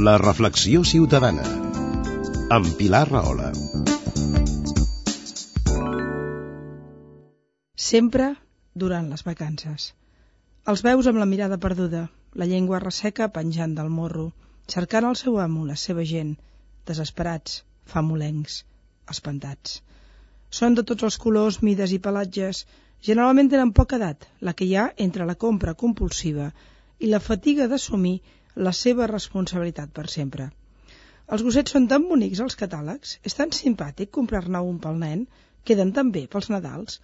La reflexió ciutadana, amb Pilar Rahola. Sempre durant les vacances. Els veus amb la mirada perduda, la llengua resseca penjant del morro, cercant el seu amo, la seva gent, desesperats, famolencs, espantats. Són de tots els colors, mides i pelatges. Generalment tenen poca edat, la que hi ha entre la compra compulsiva i la fatiga d'assumir la seva responsabilitat per sempre. Els gossets són tan bonics als catàlegs, és tan simpàtic comprar-ne un pel nen, queden tan bé pels Nadals,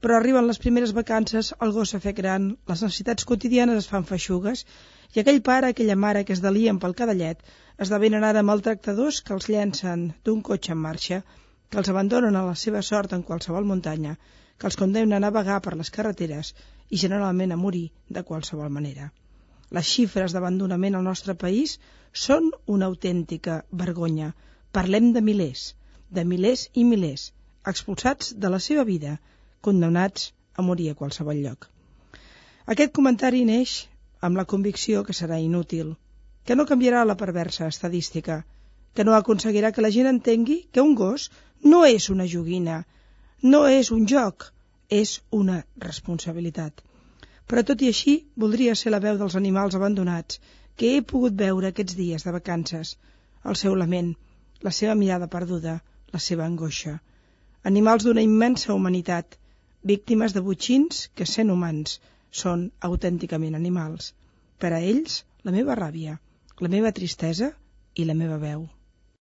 però arriben les primeres vacances, el gos s'ha fet gran, les necessitats quotidianes es fan feixugues i aquell pare, aquella mare que es delien pel cadallet esdevenen ara maltractadors que els llencen d'un cotxe en marxa, que els abandonen a la seva sort en qualsevol muntanya, que els condemnen a vagar per les carreteres i generalment a morir de qualsevol manera. Les xifres d'abandonament al nostre país són una autèntica vergonya. Parlem de milers i milers, expulsats de la seva vida, condemnats a morir a qualsevol lloc. Aquest comentari neix amb la convicció que serà inútil, que no canviarà la perversa estadística, que no aconseguirà que la gent entengui que un gos no és una joguina, no és un joc, és una responsabilitat. Però tot i així, voldria ser la veu dels animals abandonats que he pogut veure aquests dies de vacances, el seu lament, la seva mirada perduda, la seva angoixa. Animals d'una immensa humanitat, víctimes de botxins que, sent humans, són autènticament animals. Per a ells, la meva ràbia, la meva tristesa i la meva veu.